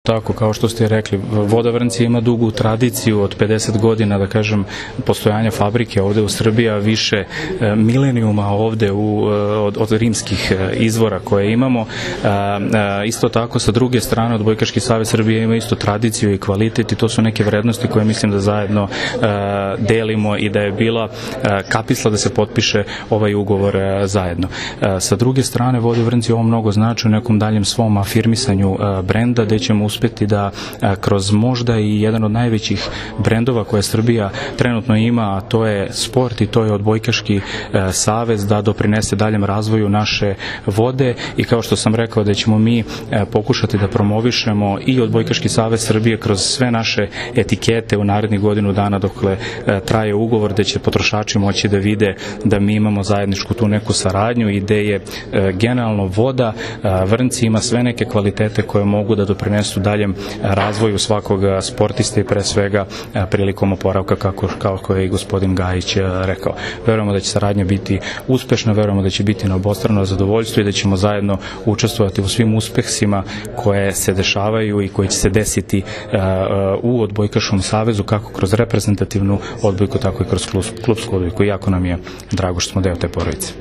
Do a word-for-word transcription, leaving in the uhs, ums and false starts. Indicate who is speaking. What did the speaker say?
Speaker 1: Tako, kao što ste rekli, Voda Vrnci ima dugu tradiciju od pedeset godina, da kažem, postojanja fabrike ovde u Srbiji, a više milenijuma ovde u, od, od rimskih izvora koje imamo. Isto tako, sa druge strane, Odbojkaški savez Srbije ima isto tradiciju i kvalitet i to su neke vrednosti koje mislim da zajedno delimo i da je bila kapisla da se potpiše ovaj ugovor zajedno. Sa druge strane, Vode Vrnci ovo mnogo znači u nekom daljem svom afirmisanju brenda, gde ćemo uspeti da kroz možda i jedan od najvećih brendova koje Srbija trenutno ima, a to je sport i to je Odbojkaški savez, da doprinese daljem razvoju naše vode i kao što sam rekao da ćemo mi pokušati da promovišemo i Odbojkaški savez Srbije kroz sve naše etikete u narednih godinu dana dokle traje ugovor, gde će potrošači moći da vide da mi imamo zajedničku tu neku saradnju i gde je generalno Voda Vrnci ima sve neke kvalitete koje mogu da doprinesu daljem razvoju svakog sportista i pre svega prilikom oporavka kako, kako je i gospodin Gajić rekao. Verujemo da će saradnja biti uspešna, verujemo da će biti na obostrano zadovoljstvo i da ćemo zajedno učestvovati u svim uspehima koje se dešavaju i koji će se desiti u Odbojkaškom savezu kako kroz reprezentativnu odbojku, tako i kroz klubsku odbojku. Jako nam je drago što smo deo te porodice.